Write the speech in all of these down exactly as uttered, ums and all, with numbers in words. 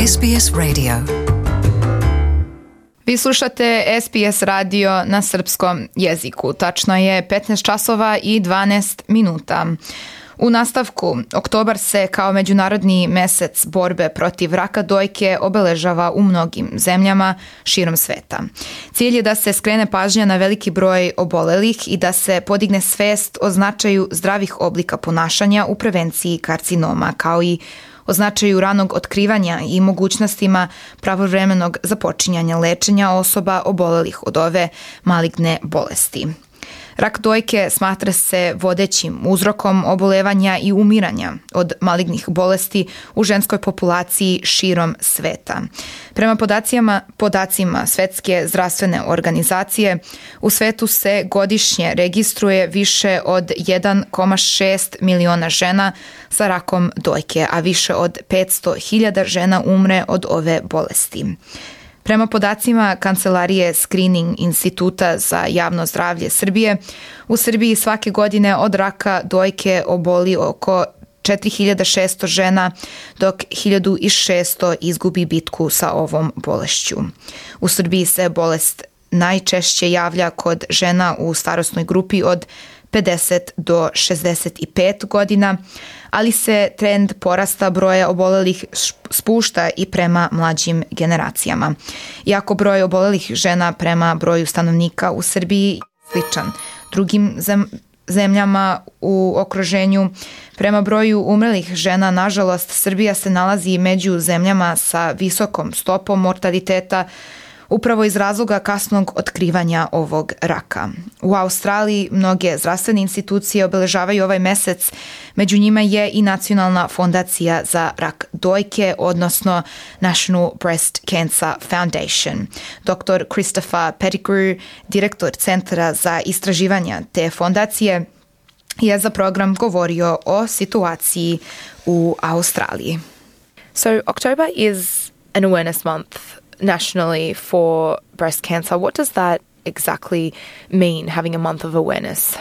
S B S Radio. Vi slušate S B S radio na srpskom jeziku. Tačno je petnaest časova i dvanaest minuta. U nastavku, oktobar se kao međunarodni mesec borbe protiv raka dojke obeležava u mnogim zemljama širom sveta. Cilj je da se skrene pažnja na veliki broj obolelih i da se podigne svest o značaju zdravih oblika ponašanja u prevenciji karcinoma, kao i o značaju ranog otkrivanja i mogućnostima pravovremenog započinjanja lečenja osoba obolelih od ove maligne bolesti. Rak dojke smatra se vodećim uzrokom obolevanja i umiranja od malignih bolesti u ženskoj populaciji širom sveta. Prema podacima, podacima Svetske zdravstvene organizacije, u svetu se godišnje registruje više od jedan zarez šest miliona žena sa rakom dojke, a više od petsto hiljada žena umre od ove bolesti. Prema podacima Kancelarije Screening Instituta za javno zdravlje Srbije, u Srbiji svake godine od raka dojke oboli oko četiri hiljade šesto žena, dok hiljadu šesto izgubi bitku sa ovom bolešću. U Srbiji se bolest najčešće javlja kod žena u starosnoj grupi od pedeset do šezdeset pet godina, ali se trend porasta broja obolelih spušta i prema mlađim generacijama. Iako broj obolelih žena prema broju stanovnika u Srbiji je sličan drugim zemljama u okruženju, prema broju umrlih žena, nažalost, Srbija se nalazi među zemljama sa visokom stopom mortaliteta, upravo iz razloga kasnog otkrivanja ovog raka. U Australiji mnoge zdravstvene institucije obeležavaju ovaj mesec, među njima je i Nacionalna fondacija za rak dojke, odnosno National Breast Cancer Foundation. doktor Christopher Pettigrew, direktor Centra za istraživanja te fondacije, je za program govorio o situaciji u Australiji. So October is an awareness month nationally for breast cancer. What does that exactly mean, having a month of awareness?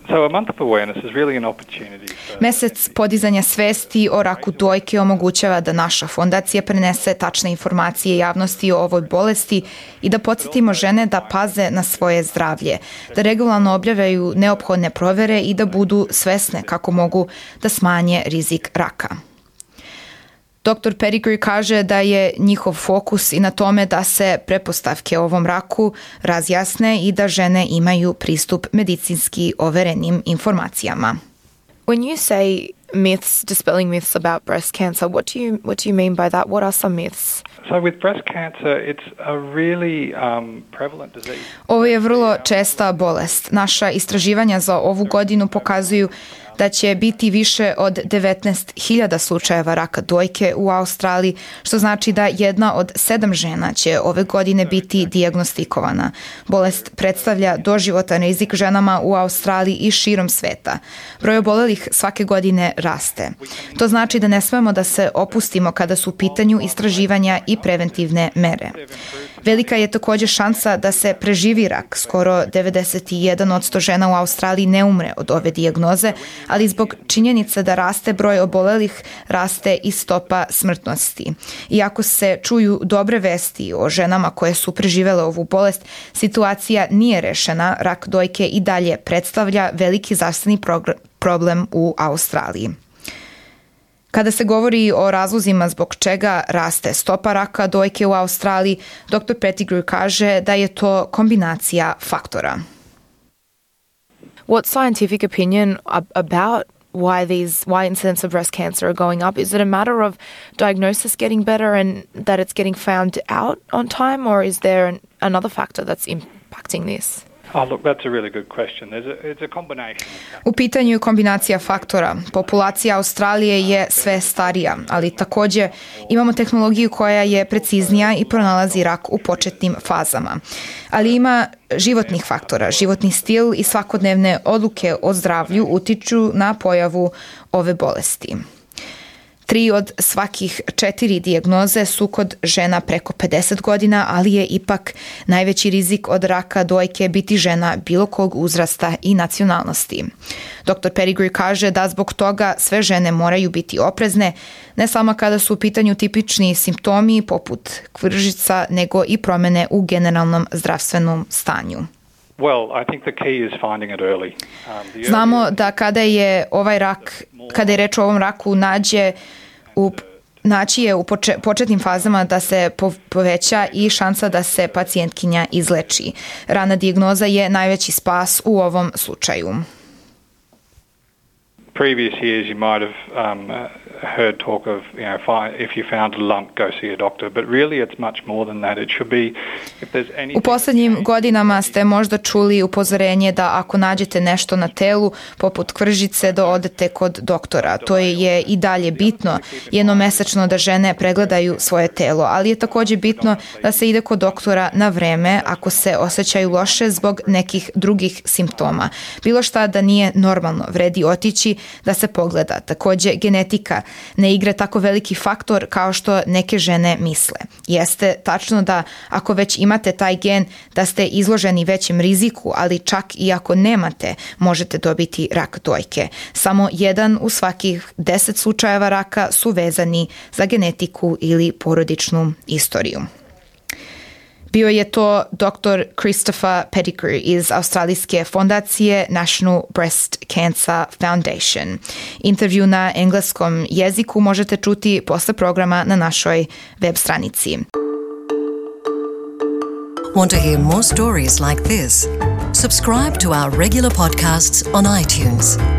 So a month of awareness is really an opportunity for... Mesec podizanja svesti o raku dojke omogućava da naša fondacija prenese tačne informacije javnosti o ovoj bolesti i da podsjetimo žene da paze na svoje zdravlje, da regularno objavljaju neophodne provere i da budu svesne kako mogu da smanje rizik raka. doktor Pettigrew kaže da je njihov fokus i na tome da se pretpostavke o ovom raku razjasne i da žene imaju pristup medicinski overenim informacijama. When you say myths, dispelling myths about breast cancer, what do you what do you mean by that? What are some myths? So with breast cancer, it's a really um, prevalent disease. Ovo je vrlo česta bolest. Naša istraživanja za ovu godinu pokazuju da će biti više od devetnaest hiljada slučajeva raka dojke u Australiji, što znači da jedna od sedam žena će ove godine biti dijagnostikovana. Bolest predstavlja doživotan rizik ženama u Australiji i širom sveta. Broj obolelih svake godine raste. To znači da ne smemo da se opustimo kada su u pitanju istraživanja i preventivne mere. Velika je također šansa da se preživi rak. Skoro devedeset jedan posto žena u Australiji ne umre od ove dijagnoze, ali zbog činjenice da raste broj obolelih, raste i stopa smrtnosti. Iako se čuju dobre vesti o ženama koje su preživele ovu bolest, situacija nije rešena. Rak dojke i dalje predstavlja veliki zdravstveni problem u Australiji. Kada se govori o razlozima zbog čega raste stopa raka dojke u Australiji, doktor Pettigrew kaže da je to kombinacija faktora. What's scientific opinion about why these why incidence of breast cancer are going up? Is it a matter of diagnosis getting better and that it's getting found out on time, or is there an, another factor that's impacting this? Oh, look, that's a really good question. There's a, it's a combination. U pitanju je kombinacija faktora. Populacija Australije je sve starija, ali također imamo tehnologiju koja je preciznija i pronalazi rak u početnim fazama. Ali ima životnih faktora. Životni stil i svakodnevne odluke o zdravlju utiču na pojavu ove bolesti. Tri od svakih četiri dijagnoze su kod žena preko pedeset godina, ali je ipak najveći rizik od raka dojke biti žena bilo kog uzrasta i nacionalnosti. doktor Pettigrew kaže da zbog toga sve žene moraju biti oprezne, ne samo kada su u pitanju tipični simptomi poput kvržica, nego i promjene u generalnom zdravstvenom stanju. Well, I think the key is finding it early. Um, the Znamo da kada je ovaj rak, kada je reč o ovom raku nađe u naći je u poče, početnim fazama da se po, poveća i šansa da se pacijentkinja izleči. Rana dijagnoza je najveći spas u ovom slučaju. Previous years you might have um, heard talk of, you know, if, I, if you found a lump, go see a doctor, but really it's much more than that. It should be, if there's anything... U posljednjim godinama ste možda čuli upozorenje da ako nađete nešto na telu, poput kvržice, da odete kod doktora. To je i dalje bitno, jednomesečno da žene pregledaju svoje telo, ali je također bitno da se ide kod doktora na vreme ako se osjećaju loše zbog nekih drugih simptoma. Bilo šta da nije normalno, vredi otići da se pogleda. Također, genetika ne igra tako veliki faktor kao što neke žene misle. Jeste tačno da ako već imate taj gen, da ste izloženi većem riziku, ali čak i ako nemate, možete dobiti rak dojke. Samo jedan u svakih deset slučajeva raka su vezani za genetiku ili porodičnu istoriju. Bio je to doktor Christopher Pettigrew iz australijske fondacije National Breast Cancer Foundation. Intervju na engleskom jeziku možete čuti posle programa na našoj web stranici. Want to hear more stories like this? Subscribe to our regular podcasts on iTunes.